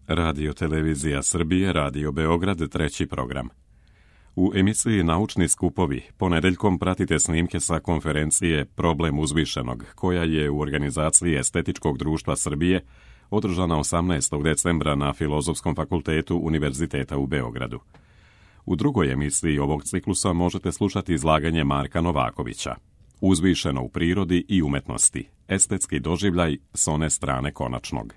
Radio Televizija Srbije, Radio Beograd, treći program. U emisiji Naučni skupovi ponedeljkom pratite snimke sa konferencije Problem uzvišenog, koja je u organizaciji Estetičkog društva Srbije održana 18. decembra na Filozofskom fakultetu Univerziteta u Beogradu. U drugoj emisiji ovog ciklusa možete slušati izlaganje Marka Novakovića. Uzvišeno u prirodi i umetnosti. Estetski doživljaj s one strane konačnog.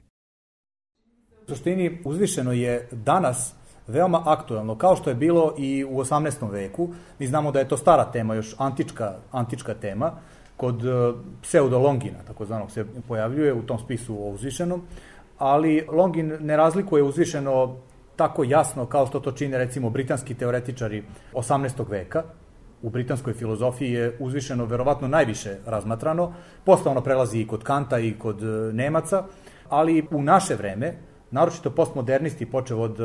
U suštini, uzvišeno je danas veoma aktuelno, kao što je bilo i u 18. veku. Mi znamo da je to stara tema, još antička tema. Kod pseudo Longina, takozvanog, se pojavljuje u tom spisu o uzvišenom, ali Longin ne razlikuje uzvišeno tako jasno kao što to čine recimo britanski teoretičari 18. veka. U britanskoj filozofiji je uzvišeno verovatno najviše razmatrano, posle ono prelazi i kod Kanta i kod Nemaca, ali u naše vreme, naročito postmodernisti, počev od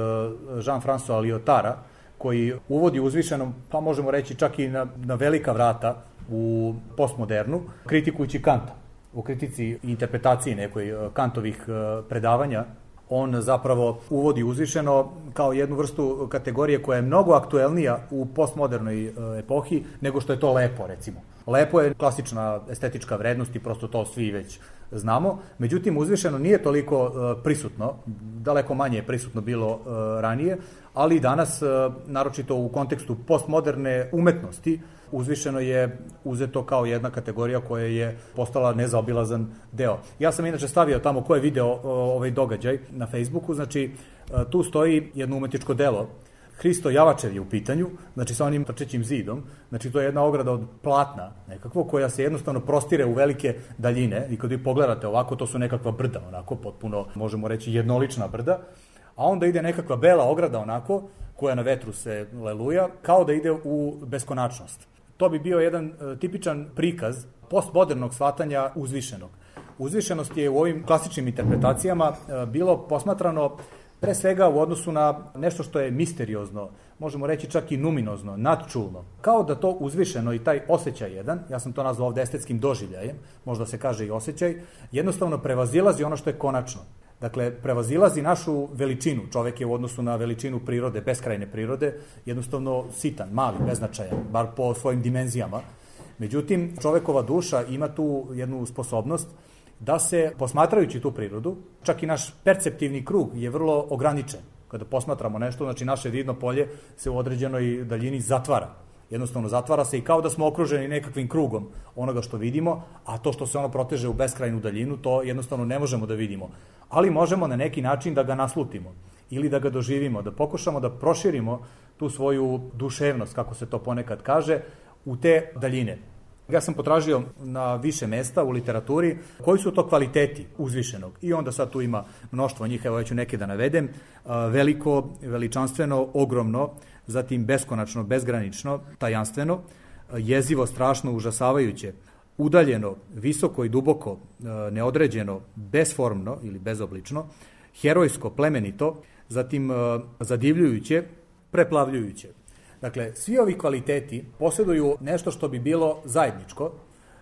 Jean-François Lyotara, koji uvodi uzvišenom, pa možemo reći čak i na velika vrata u postmodernu, kritikujući Kanta. U kritici i interpretaciji nekoj Kantovih predavanja, on zapravo uvodi uzvišeno kao jednu vrstu kategorije koja je mnogo aktuelnija u postmodernoj epohi nego što je to lepo, recimo. Lepo je klasična estetička vrednost i prosto to svi već znamo, međutim uzvišeno nije toliko prisutno, daleko manje je prisutno bilo ranije, ali danas, naročito u kontekstu postmoderne umetnosti, uzvišeno je uzeto kao jedna kategorija koja je postala nezaobilazan deo. Ja sam inače stavio tamo ko je video ovaj događaj na Facebooku, znači tu stoji jedno umetničko delo. Hristo Javačev je u pitanju, znači sa onim trčećim zidom, znači to je jedna ograda od platna nekakvo koja se jednostavno prostire u velike daljine i kad vi pogledate ovako to su nekakva brda, onako potpuno možemo reći jednolična brda, a onda ide nekakva bela ograda onako koja na vetru se leluja kao da ide u beskonačnost. To bi bio jedan tipičan prikaz postmodernog shvatanja uzvišenog. Uzvišenost je u ovim klasičnim interpretacijama bilo posmatrano pre svega u odnosu na nešto što je misteriozno, možemo reći čak i numinozno, nadčulno. Kao da to uzvišeno i taj osjećaj jedan, ja sam to nazvao ovde estetskim doživljajem, možda se kaže i osjećaj, jednostavno prevazilazi ono što je konačno. Dakle, prevazilazi našu veličinu. Čovek je u odnosu na veličinu prirode, beskrajne prirode, jednostavno sitan, mali, beznačajan, bar po svojim dimenzijama. Međutim, čovekova duša ima tu jednu sposobnost da se, posmatrajući tu prirodu, čak i naš perceptivni krug je vrlo ograničen. Kada posmatramo nešto, znači naše vidno polje se u određenoj daljini zatvara. Jednostavno zatvara se i kao da smo okruženi nekakvim krugom onoga što vidimo, a to što se ono proteže u beskrajnu daljinu, to jednostavno ne možemo da vidimo. Ali možemo na neki način da ga naslutimo ili da ga doživimo, da pokušamo da proširimo tu svoju duševnost, kako se to ponekad kaže, u te daljine. Ja sam potražio na više mesta u literaturi koji su to kvaliteti uzvišenog i onda sad tu ima mnoštvo njih, evo ja ću neke da navedem, veliko, veličanstveno, ogromno, zatim beskonačno, bezgranično, tajanstveno, jezivo, strašno, užasavajuće, udaljeno, visoko i duboko, neodređeno, besformno ili bezoblično, herojsko, plemenito, zatim zadivljujuće, preplavljujuće. Dakle, svi ovi kvaliteti posjeduju nešto što bi bilo zajedničko.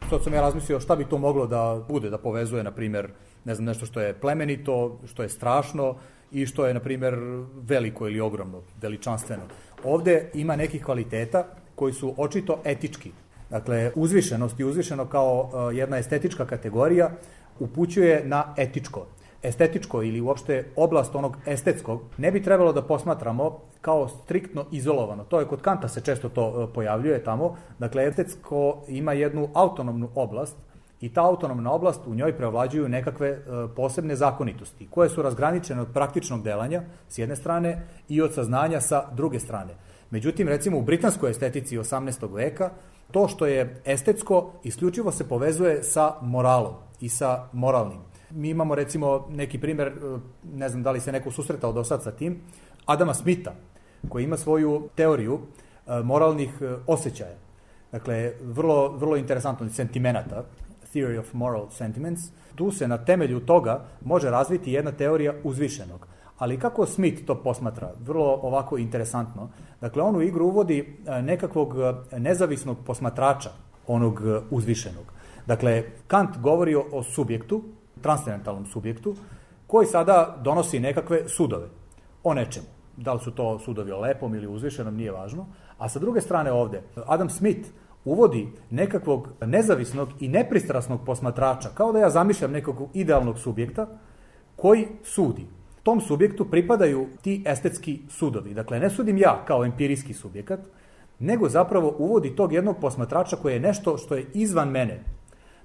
Sad sam ja razmislio šta bi to moglo da bude, da povezuje, na primjer, ne znam, nešto što je plemenito, što je strašno i što je, na primjer, veliko ili ogromno, veličanstveno. Ovde ima nekih kvaliteta koji su očito etički. Dakle, uzvišenost i uzvišeno kao jedna estetička kategorija upućuje na etičko. Estetičko ili uopšte oblast onog estetskog ne bi trebalo da posmatramo kao striktno izolovano. To je kod Kanta se često to pojavljuje tamo. Dakle, estetsko ima jednu autonomnu oblast i ta autonomna oblast u njoj preovlađuju nekakve posebne zakonitosti koje su razgraničene od praktičnog delanja s jedne strane i od saznanja sa druge strane. Međutim, recimo u britanskoj estetici 18. veka to što je estetsko isključivo se povezuje sa moralom i sa moralnim. Mi imamo recimo neki primjer, ne znam da li se neko susretao do sad sa tim, Adama Smitha, koji ima svoju teoriju moralnih osjećaja. Dakle, vrlo interesantno, sentimenata, Theory of Moral Sentiments. Tu se na temelju toga može razviti jedna teorija uzvišenog. Ali kako Smith to posmatra? Vrlo ovako interesantno. Dakle, on u igru uvodi nekakvog nezavisnog posmatrača onog uzvišenog. Dakle, Kant govori o subjektu, transcendentalnom subjektu, koji sada donosi nekakve sudove o nečemu. Da li su to sudovi o lepom ili uzvišenom, nije važno. A sa druge strane ovde, Adam Smith uvodi nekakvog nezavisnog i nepristrasnog posmatrača, kao da ja zamišljam nekog idealnog subjekta koji sudi. Tom subjektu pripadaju ti estetski sudovi. Dakle, ne sudim ja kao empirijski subjekat, nego zapravo uvodi tog jednog posmatrača koji je nešto što je izvan mene.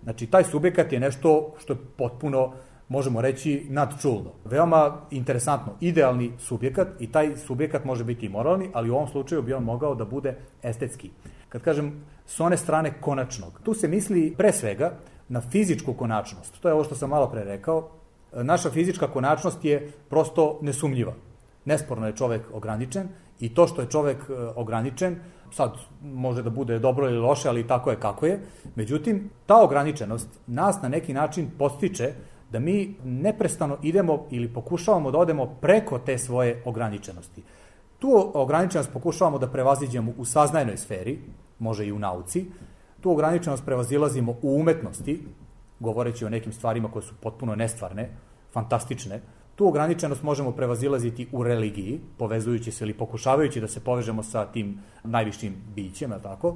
Znači, taj subjekat je nešto što je potpuno, možemo reći, nadčulno. Veoma interesantno, idealni subjekat i taj subjekat može biti i moralni, ali u ovom slučaju bi on mogao da bude estetski. Kad kažem s one strane konačnog, tu se misli pre svega na fizičku konačnost. To je ovo što sam malo pre rekao. Naša fizička konačnost je prosto nesumnjiva. Nesporno je čovek ograničen i to što je čovek ograničen, sad može da bude dobro ili loše, ali tako je kako je. Međutim, ta ograničenost nas na neki način podstiče da mi neprestano idemo ili pokušavamo da odemo preko te svoje ograničenosti. Tu ograničenost pokušavamo da prevaziđemo u saznajnoj sferi, može i u nauci. Tu ograničenost prevazilazimo u umetnosti, govoreći o nekim stvarima koje su potpuno nestvarne, fantastične. Tu ograničenost možemo prevazilaziti u religiji, povezujući se ili pokušavajući da se povežemo sa tim najvišim bićem, tako?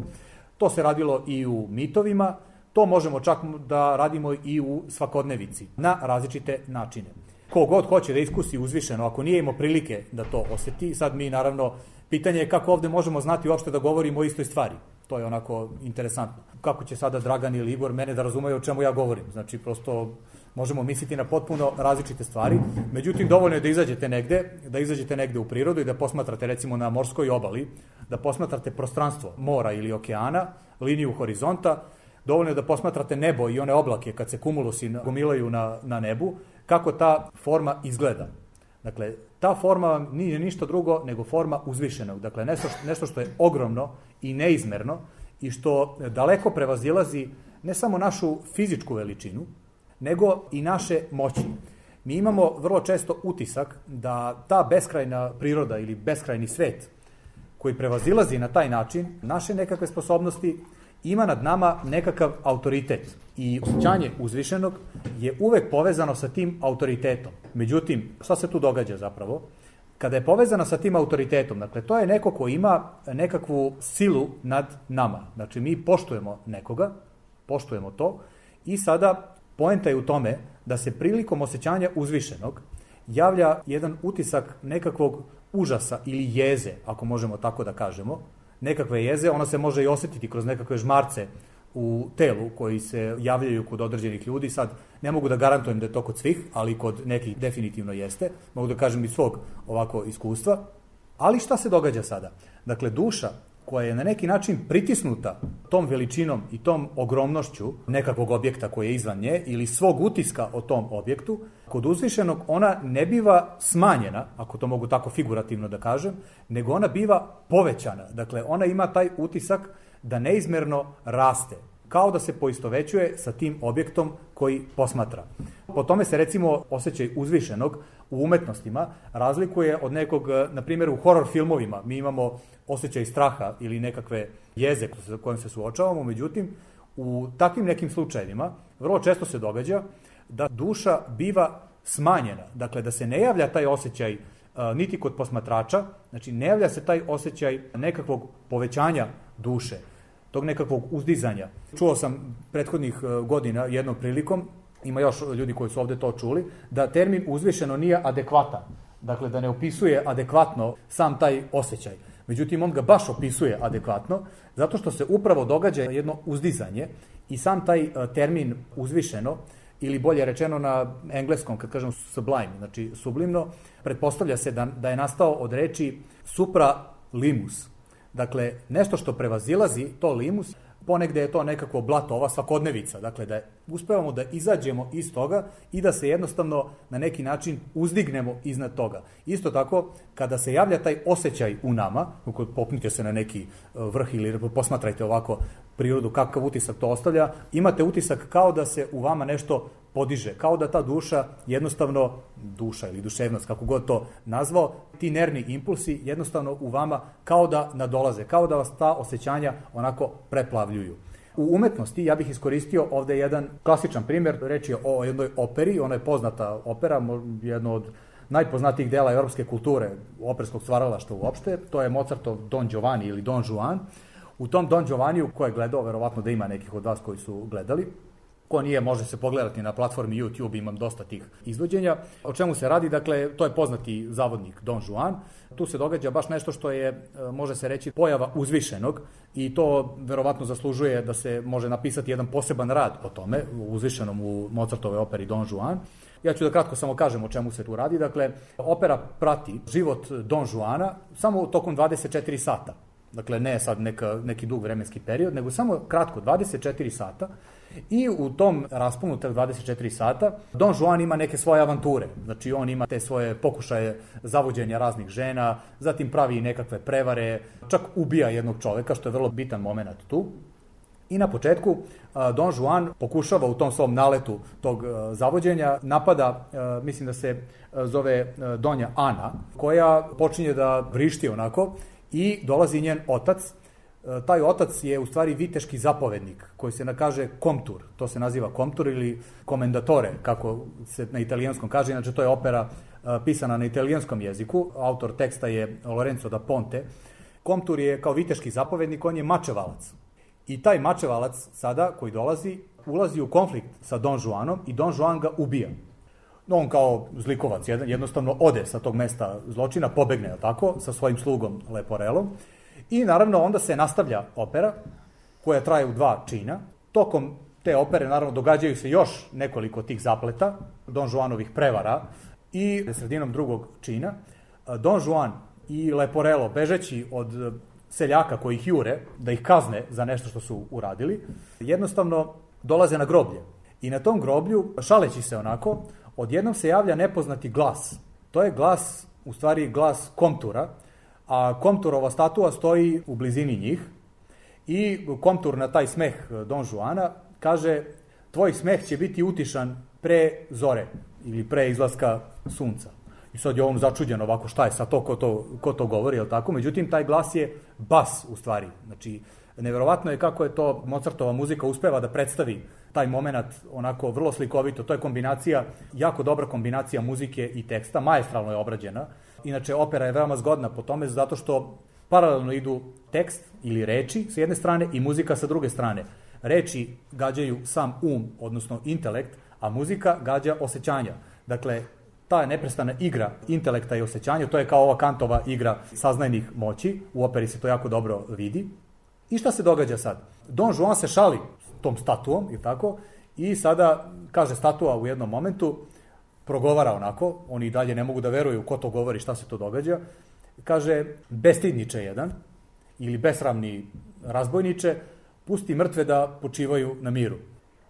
To se radilo i u mitovima, to možemo čak da radimo i u svakodnevici, na različite načine. Kogod hoće da iskusi uzvišeno, ako nije imao prilike da to osjeti, sad mi naravno, pitanje je kako ovde možemo znati uopšte da govorimo o istoj stvari. To je onako interesantno. Kako će sada Dragan ili Igor mene da razumeju o čemu ja govorim? Znači, prosto možemo misliti na potpuno različite stvari. Međutim, dovoljno je da izađete negde u prirodu i da posmatrate recimo na morskoj obali, da posmatrate prostranstvo mora ili okeana, liniju horizonta, dovoljno je da posmatrate nebo i one oblake kad se kumulusi gomilaju na nebu, kako ta forma izgleda. Dakle, ta forma nije ništa drugo nego forma uzvišenog. Dakle, nešto što je ogromno i neizmerno i što daleko prevazilazi ne samo našu fizičku veličinu, nego i naše moći. Mi imamo vrlo često utisak da ta beskrajna priroda ili beskrajni svet koji prevazilazi na taj način naše nekakve sposobnosti ima nad nama nekakav autoritet i osjećanje uzvišenog je uvek povezano sa tim autoritetom. Međutim, šta se tu događa zapravo? Kada je povezano sa tim autoritetom, dakle, to je neko ko ima nekakvu silu nad nama. Znači, mi poštujemo nekoga, poštujemo to i sada poenta je u tome da se prilikom osjećanja uzvišenog javlja jedan utisak nekakvog užasa ili jeze, ako možemo tako da kažemo, nekakve jeze, ona se može i osjetiti kroz nekakve žmarce u telu koji se javljaju kod određenih ljudi. Sad ne mogu da garantujem da je to kod svih, ali kod nekih definitivno jeste. Mogu da kažem iz svog ovako iskustva. Ali šta se događa sada? Dakle, duša koja je na neki način pritisnuta tom veličinom i tom ogromnošću nekakvog objekta koji je izvan nje ili svog utiska o tom objektu, kod uzvišenog ona ne biva smanjena, ako to mogu tako figurativno da kažem, nego ona biva povećana. Dakle, ona ima taj utisak da neizmerno raste, kao da se poistovećuje sa tim objektom koji posmatra. Po tome se recimo osjećaj uzvišenog u umetnostima razlikuje od nekog, na primjer u horor filmovima mi imamo osjećaj straha ili nekakve jeze sa kojim se suočavamo, međutim u takvim nekim slučajevima vrlo često se događa da duša biva smanjena, dakle da se ne javlja taj osjećaj niti kod posmatrača, znači ne javlja se taj osjećaj nekakvog povećanja duše, tog nekakvog uzdizanja. Čuo sam prethodnih godina jednom prilikom, ima još ljudi koji su ovde to čuli, da termin uzvišeno nije adekvatan, dakle da ne opisuje adekvatno sam taj osjećaj. Međutim, on ga baš opisuje adekvatno, zato što se upravo događa jedno uzdizanje i sam taj termin uzvišeno, ili bolje rečeno na engleskom, kad kažem sublime, znači sublimno, pretpostavlja se da je nastao od reči supralimus. Dakle, nešto što prevazilazi to limus, ponegde je to nekako blato, ova svakodnevica, dakle da uspevamo da izađemo iz toga i da se jednostavno na neki način uzdignemo iznad toga. Isto tako, kada se javlja taj osjećaj u nama, popnite se na neki vrh ili posmatrajte ovako prirodu, kakav utisak to ostavlja, imate utisak kao da se u vama nešto podiže, kao da ta duša jednostavno, duša ili duševnost, kako god to nazvao, ti nervni impulsi jednostavno u vama kao da nadolaze, kao da vas ta osjećanja onako preplavljuju. U umetnosti ja bih iskoristio ovde jedan klasičan primjer, reč je o jednoj operi, ona je poznata opera, jedno od najpoznatijih dela evropske kulture, operskog stvaralaštva uopšte, to je Mozartov Don Giovanni ili Don Juan. U tom Don Giovanniju, ko je gledao, verovatno da ima nekih od vas koji su gledali, ko nije, može se pogledati na platformi YouTube, imam dosta tih izvođenja. O čemu se radi? Dakle, to je poznati zavodnik Don Juan. Tu se događa baš nešto što je, može se reći, pojava uzvišenog i to verovatno zaslužuje da se može napisati jedan poseban rad o tome, uzvišenom u Mozartove operi Don Juan. Ja ću da kratko samo kažem o čemu se tu radi. Dakle, opera prati život Don Juana samo tokom 24 sata. Dakle, ne sad neki dug vremenski period, nego samo kratko, 24 sata. I u tom rasponu, 24 sata, Don Juan ima neke svoje avanture. Znači, on ima te svoje pokušaje zavođenja raznih žena, zatim pravi nekakve prevare, čak ubija jednog čoveka, što je vrlo bitan moment tu. I na početku Don Juan pokušava u tom svom naletu tog zavođenja, napada, mislim da se zove Donja Ana, koja počinje da vrišti onako i dolazi njen otac. Taj otac je u stvari viteški zapovednik koji se kaže komtur, to se naziva komtur ili komendatore, kako se na italijanskom kaže, inače to je opera pisana na italijanskom jeziku, autor teksta je Lorenzo da Ponte. Komtur je kao viteški zapovednik, on je mačevalac. I taj mačevalac sada koji ulazi u konflikt sa Don Juanom i Don Juan ga ubija. On kao zlikovac jednostavno ode sa tog mesta zločina, pobegne tako, sa svojim slugom Leporelom. I naravno onda se nastavlja opera koja traje u 2 čina. Tokom te opere naravno događaju se još nekoliko tih zapleta, Don Juanovih prevara i sredinom 2. čina Don Juan i Leporello bežeći od seljaka koji ih jure, da ih kazne za nešto što su uradili, jednostavno dolaze na groblje. I na tom groblju, šaleći se onako, odjednom se javlja nepoznati glas. To je glas, u stvari glas komtura, a komturova statua stoji u blizini njih i komtur na taj smeh Don Juana kaže: tvoj smeh će biti utišan pre zore ili pre izlaska sunca. I sad je on začuđen ovako, šta je sad to, ko to govori, je li tako? Međutim, taj glas je bas u stvari. Znači, neverovatno je kako je to Mozartova muzika uspeva da predstavi taj moment onako vrlo slikovito. To je kombinacija, jako dobra kombinacija muzike i teksta, maestralno je obrađena. Inače, opera je veoma zgodna po tome zato što paralelno idu tekst ili reči s jedne strane i muzika sa druge strane. Reči gađaju sam odnosno intelekt, a muzika gađa osjećanja. Dakle, ta neprestana igra intelekta i osjećanja, to je kao ova Kantova igra saznajnih moći, u operi se to jako dobro vidi. I šta se događa sad? Don Juan se šali tom statuom, i tako, i sada, kaže statua u jednom momentu, progovara onako, oni i dalje ne mogu da veruju ko to govori, šta se to događa, kaže: bestidniče jedan, ili besramni razbojniče, pusti mrtve da počivaju na miru.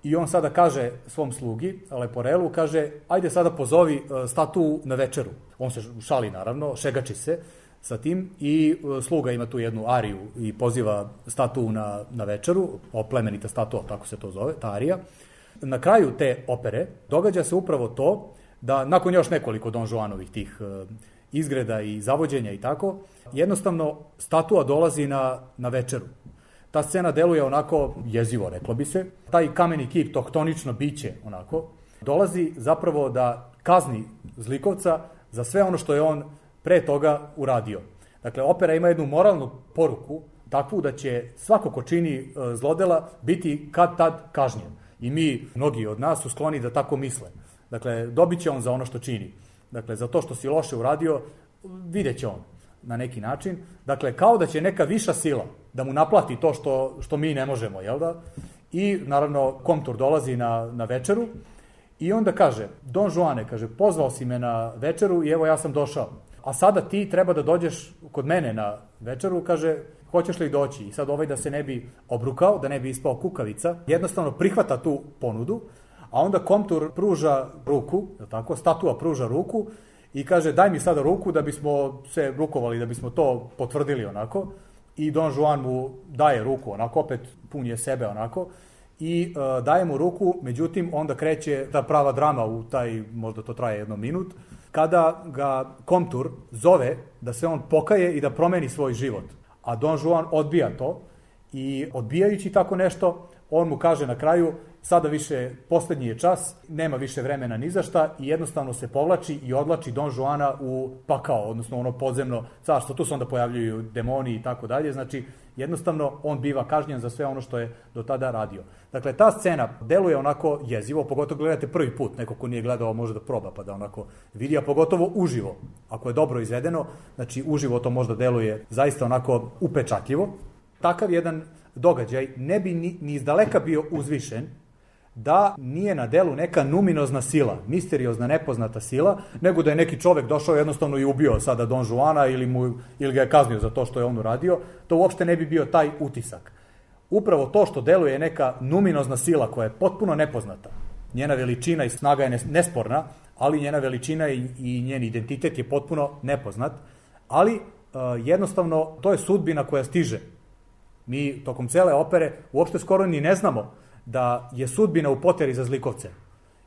I on sada kaže svom slugi, Leporelu, kaže: ajde sada pozovi statu na večeru. On se šali naravno, šegači se sa tim i sluga ima tu jednu ariju i poziva statu na večeru, oplemenita statua, tako se to zove, ta arija. Na kraju te opere događa se upravo to da nakon još nekoliko Don Juanovih tih izgreda i zavođenja i tako, jednostavno statua dolazi na večeru. Ta scena deluje onako jezivo, reklo bi se. Taj kameni kip, to htonično biće, onako, dolazi zapravo da kazni zlikovca za sve ono što je on pre toga uradio. Dakle, opera ima jednu moralnu poruku, takvu da će svako ko čini zlodela biti kad tad kažnjen. I mi, mnogi od nas, su skloni da tako misle. Dakle, dobit će on za ono što čini. Dakle, za to što si loše uradio, vidjet će on na neki način. Dakle, kao da će neka viša sila da mu naplati to što mi ne možemo, jel da? I, naravno, komtur dolazi na večeru i onda kaže: Don Juane, kaže, pozvao si me na večeru i evo ja sam došao. A sada ti treba da dođeš kod mene na večeru, kaže, hoćeš li doći? I sad da se ne bi obrukao, da ne bi ispao kukavica, jednostavno prihvata tu ponudu, a onda komtur pruža ruku, tako, statua pruža ruku i kaže: daj mi sada ruku da bismo se rukovali, da bismo to potvrdili onako. I Don Juan mu daje ruku onako, opet pun je sebe onako, i daje mu ruku, međutim onda kreće ta prava drama u taj, možda to traje 1 minut, kada ga komtur zove da se on pokaje i da promeni svoj život. A Don Juan odbija to i odbijajući tako nešto, on mu kaže na kraju, sada više, posljednji je čas, nema više vremena ni za šta i jednostavno se povlači i odlači Don Juana u pakao, odnosno ono podzemno carstvo. Tu se onda pojavljuju demoni i tako dalje, znači jednostavno on biva kažnjen za sve ono što je do tada radio. Dakle, ta scena deluje onako jezivo, pogotovo gledate prvi put, neko ko nije gledao može da proba pa da onako vidi, a pogotovo uživo. Ako je dobro izvedeno, znači uživo to možda deluje zaista onako upečatljivo. Takav jedan događaj ne bi ni izdaleka bio uzvišen da nije na delu neka numinozna sila, misteriozna, nepoznata sila, nego da je neki čovek došao jednostavno i ubio sada Don Juana ili ga je kaznio za to što je on uradio, to uopšte ne bi bio taj utisak. Upravo to što deluje neka numinozna sila koja je potpuno nepoznata, njena veličina i snaga je nesporna, ali njena veličina i njen identitet je potpuno nepoznat, ali jednostavno to je sudbina koja stiže. Mi tokom cele opere uopšte skoro ni ne znamo da je sudbina u poteri za zlikovcem.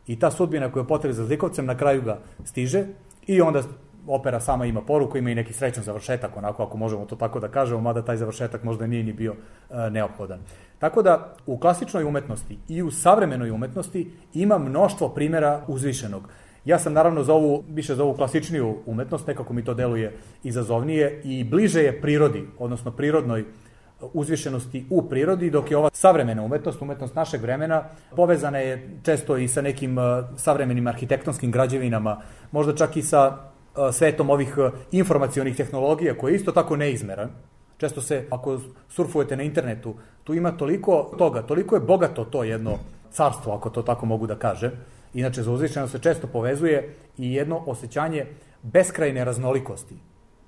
I ta sudbina koja je u poteri za zlikovcem na kraju ga stiže i onda opera sama ima poruku, ima i neki srećan završetak, onako ako možemo to tako da kažemo, mada taj završetak možda nije ni bio neophodan. Tako da u klasičnoj umetnosti i u savremenoj umetnosti ima mnoštvo primjera uzvišenog. Ja sam naravno više za ovu klasičniju umetnost, nekako mi to deluje izazovnije i bliže je prirodi, odnosno prirodnoj uzvišenosti u prirodi, dok je ova savremena umetnost našeg vremena, povezana je često i sa nekim savremenim arhitektonskim građevinama, možda čak i sa svetom ovih informacionih tehnologija, koji je isto tako neizmeran. Često se, ako surfujete na internetu, tu ima toliko toga, toliko je bogato to jedno carstvo, ako to tako mogu da kažem. Inače, za uzvišenost se često povezuje i jedno osjećanje beskrajne raznolikosti.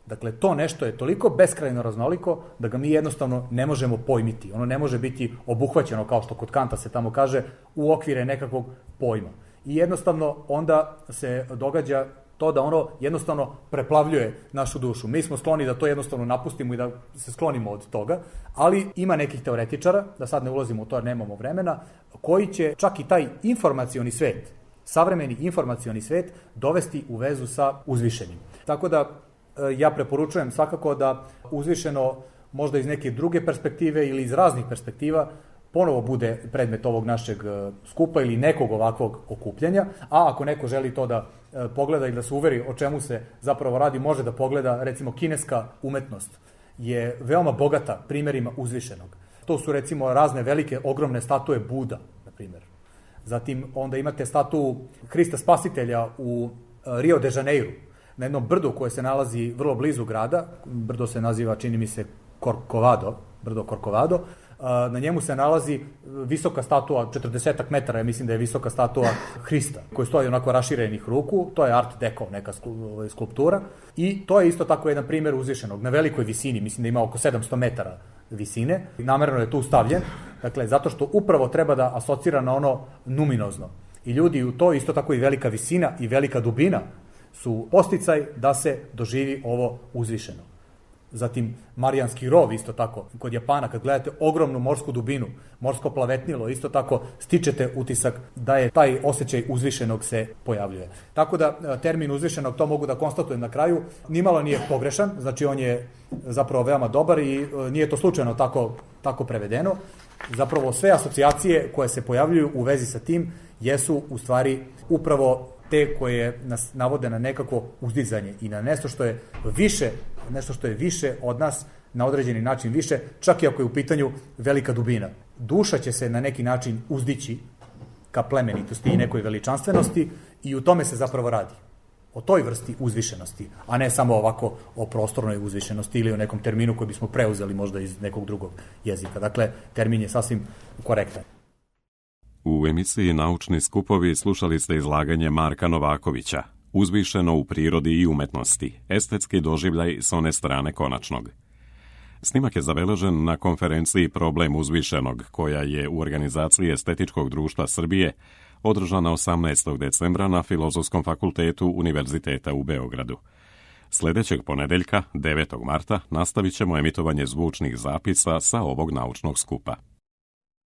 Dakle, to nešto je toliko beskrajno raznoliko da ga mi jednostavno ne možemo pojmiti. Ono ne može biti obuhvaćeno, kao što kod Kanta se tamo kaže, u okvire nekakvog pojma. I jednostavno onda se događa to da ono jednostavno preplavljuje našu dušu. Mi smo skloni da to jednostavno napustimo i da se sklonimo od toga, ali ima nekih teoretičara, da sad ne ulazimo u to jer nemamo vremena, koji će čak i taj informacioni svet, savremeni informacioni svet, dovesti u vezu sa uzvišenim. Tako da ja preporučujem svakako da uzvišeno možda iz neke druge perspektive ili iz raznih perspektiva ponovo bude predmet ovog našeg skupa ili nekog ovakvog okupljanja, a ako neko želi to da pogleda i da se uveri o čemu se zapravo radi, može da pogleda, recimo, kineska umetnost je veoma bogata primjerima uzvišenog. To su recimo razne velike, ogromne statue Buda, na primjer. Zatim onda imate statu Hrista Spasitelja u Rio de Janeiru, na jednom brdu koje se nalazi vrlo blizu grada. Brdo se naziva, čini mi se, brdo Corcovado. Na njemu se nalazi visoka statua, 40 metara, ja mislim da je visoka statua Hrista, koji stoji onako raširenih ruku. To je art deco, neka skulptura. I to je isto tako jedan primjer uzvišenog, na velikoj visini, mislim da ima oko 700 metara visine. Namerno je tu stavljen, dakle, zato što upravo treba da asocira na ono numinozno. I ljudi u to, isto tako i velika visina i velika dubina, su posticaj da se doživi ovo uzvišeno. Zatim Marijanski rov, isto tako, kod Japana, kad gledate ogromnu morsku dubinu, morsko plavetnilo, isto tako stičete utisak da je taj osjećaj uzvišenog se pojavljuje. Tako da termin uzvišenog, to mogu da konstatujem na kraju, nimalo nije pogrešan, znači on je zapravo veoma dobar i nije to slučajno tako prevedeno. Zapravo sve asocijacije koje se pojavljuju u vezi sa tim jesu u stvari upravo te koje nas navode na nekako uzdizanje i na nešto što je više od nas, na određeni način više, čak i ako je u pitanju velika dubina. Duša će se na neki način uzdići ka plemenitosti i nekoj veličanstvenosti i u tome se zapravo radi. O toj vrsti uzvišenosti, a ne samo ovako o prostornoj uzvišenosti ili o nekom terminu koji bismo preuzeli možda iz nekog drugog jezika. Dakle, termin je sasvim korektan. U emisiji Naučni skupovi slušali ste izlaganje Marka Novakovića, Uzvišeno u prirodi i umetnosti, estetski doživljaj s one strane konačnog. Snimak je zabeležen na konferenciji Problem uzvišenog, koja je u organizaciji Estetičkog društva Srbije održana 18. decembra na Filozofskom fakultetu Univerziteta u Beogradu. Sljedećeg ponedeljka, 9. marta, nastavit ćemo emitovanje zvučnih zapisa sa ovog naučnog skupa.